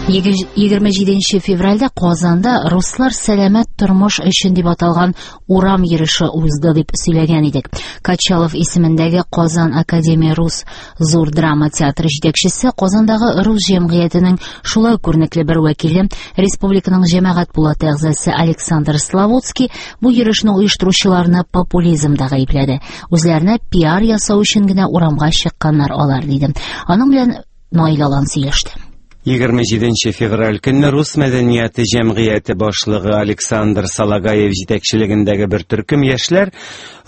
27 февральдә Казанда «Руслар сәламәт тормыш өчен» дип аталган урам йөреше узды дип сөйләгән идек. Качалов исемендәге Казан академия рус зур драма театры җитәкчесе, Казандагы рус җәмгыятенең шулай ук күренекле бер вәкиле, республиканың җәмәгать пулаты әгъзасы Александр Славутский бу йөрешне оештыручыларны популизмда гаепләде. Үзләренә пиар ясау өчен генә урамга чыкканнар алар, диде. Аның белән Наил Алан сөйләште. 27 февраль көнне Рус мәдәнияте җәмгыяте башлыгы Александр Салагаев җитәкчелегендәге бер төркем яшьләр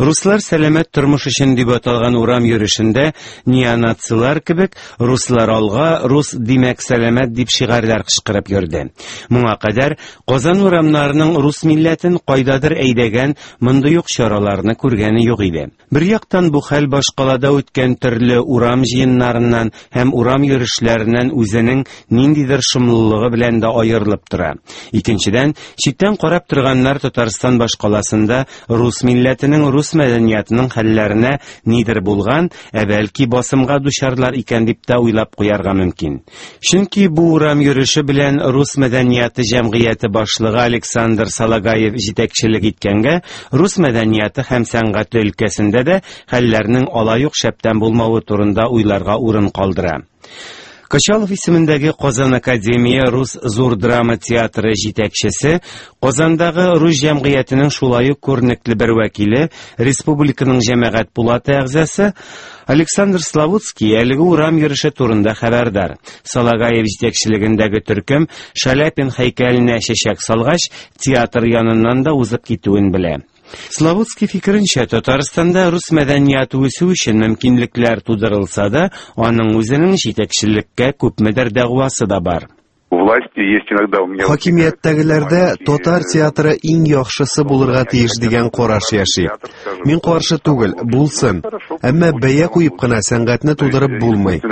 «Руслар сәламәт тормыш өчен» дип аталган урам йөрешендә неонацилар кебек «Руслар алга, рус димәк сәламәт» дип шигарьләр кычкырып йөрде. Моңа кадәр Казан урамнарының рус милләтен кайдадыр әйдәгән мондый ук чараларны күргәне юк иде. Бер яктан бу хәл башкалада үткән төрле урам җыеннарыннан һәм урам йөрешләреннән үзенең ниндидер шомлылыгы белән дә аерылып тора. Икенчедән, читтән карап торганнар Татарстан башкаласында рус милләтенең, рус мәдәниятының хәлләренә нидер булган, ә бәлки басымга дучарлар икән дип тә уйлап куярга мөмкин. Чөнки бу урам йөреше белән рус мәдәнияты җәмгыяте башлыгы Александр Салагаев җитәкчелек иткәнгә, рус мәдәнияты һәм сәнгате өлкәсендә дә хәлләрнең алай ук шәптән булмавы турында уйларга урын калдыра. Качалов исемендәге Казан академия рус зур драма театры җитәкчесе, Казандагы рус җәмгыятенең шулай ук күренекле бер вәкиле, республиканың җәмәгать пулаты әгъзасы Александр Славутский әлеге урам йөреше турында хәбәрдар. Салагаев җитәкчелегендәге төркем Шаляпин һәйкәленә чәчәк салгач, театр яныннан да узып китүен белә. Славутский фикеренчә, Татарстанда рус мәдәнияте үсү өчен мөмкинлекләр тудырылса да, аның үзенең җитәкчелеккә күпмедер дәгъвасы да бар. Власти есть иногда у меня. Хакимияттәгеләрдә татар театры иң яхшысы булырга тиеш дигән караш яши. Мин каршы түгел, булсын. Әмма бәя куеп кына сәнгатьне тудырып булмый.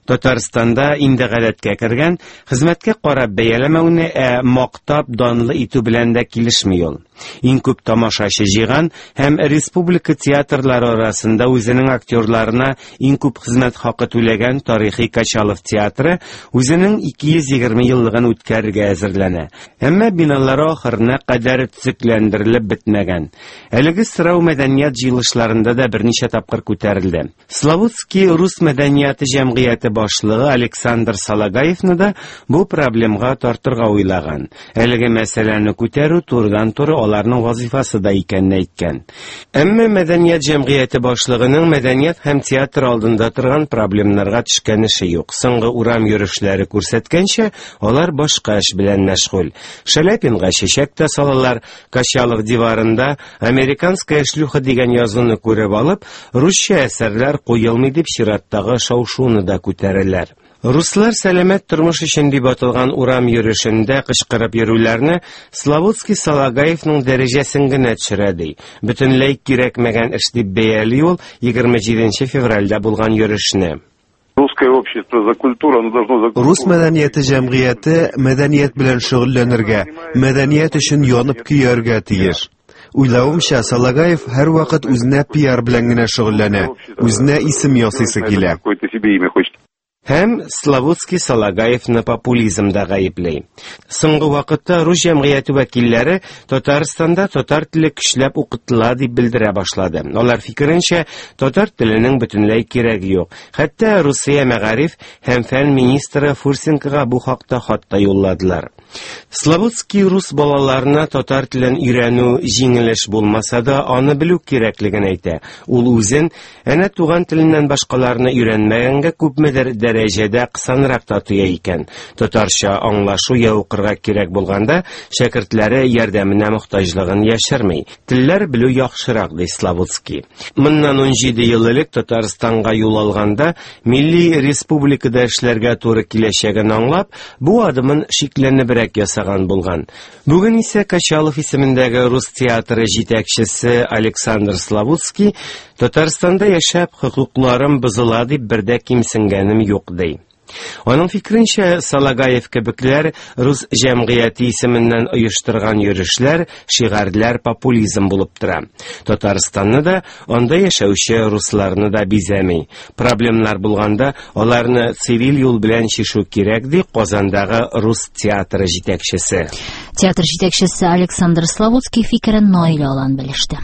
Татарстанда инде гадәткә кергән, хезмәткә карап бәяләмәүне, ә мактап данлы итү белән дә килешми ул. Иң күп тамашачы җыйган һәм республика театрлары арасында үзенең актерларына иң күп хезмәт хакы түләгән тарихи Качалов театры үзенең 220 еллыгын үткәрергә әзерләнә. Әмма биналары ахырына кадәр төзекләндерелеп бетмәгән. Әлеге сорау мәдәният җыелышларында да берничә тапкыр күтәрелде. Славутский рус мәдәнияте җәмгыяте башлыгы Александр Салагаевны да бу проблемга тартырга уйлаган. Әлеге мәсьәләне күтәрү турыдан-туры аларның вазифасы да икәнен әйткән. Әмма мәдәният җәмгыяте башлыгының мәдәният һәм театр алдында торган проблемнарга төшкән эше юк. Соңгы урам йөрешләре күрсәткәнчә, алар башка эш белән мәшгуль. Шаляпинга чәчәк тә салалар, Качалов диварында «Американская шлюха» дигән язуны күреп алып, русча әсәрләр куелмый дип чираттагы шау-шуны да күтәрәләр. Руслар сәламәт тормыш өчен дип аталган урам йөрешендә кычкырып йөрүләрне Славутский Салагаевның дәрәҗәсен генә төшерә ди. Бөтенләй кирәкмәгән эш дип бәяли ул 27 февральдә булган йөрешне. Русское общество за культуру, оно должно за Рус мәдәнияте җәмгыяте мәдәният белән шөгыльләнергә, мәдәният өчен янып көяргә тиеш. Уйлавымча, Салагаев һәрвакыт үзенә пиар белән генә шөгыльләнә, үзенә исем ясыйсы килә. Какое-то себе имя хочет. Һәм Славутский Салагаевны популизмда гаепли. Соңгы вакытта рус җәмгыяте вәкилләре Татарстанда татар теле көчләп укытыла дип белдерә башлады. Алар фикеренчә, татар теленең бөтенләй кирәге юк. Хәтта Русия мәгариф һәм фән министры Фурсенкога бу хакта хат та юлладылар. Славутский рус балаларына татар телен өйрәнү җиңел эш булмаса да, аны белү кирәклеген әйтә. Ул үзен әнә туган теленнән башкаларны өйрәнмәгәнгә күпмедер дәрәҗәдә кысанрак та тоя икән. Татарча аңлашу я укырга кирәк булганда, шәкертләре ярдәменә мохтаҗлыгын яшерми. Телләр белү яхшырак, ди Славутский. Моннан 17 ел элек Татарстанга юл алганда, милли республикада эшләргә туры киләчәген аңлап, бу адымын шикләнебрәк ясаган булган. Бүген исә Качалов исемендәге рус театры җитәкчесе Александр Славутский Татарстанда яшәп хокукларым бозыла дип бердә кимсенгәнем юк ди. Аның фикеренчә, Салагаев кебекләр рус җәмгыяте исеменнән оештырган йөрешләр, шигарьләр популизм булып тора. Татарстанны да, анда яшәүче русларны да бизәми. Проблемнар булганда, аларны цивиль юл белән чишү кирәк, ди Казандагы рус театры җитәкчесе. Театр җитәкчесе Александр Славутский фикерен Наил Алан белеште.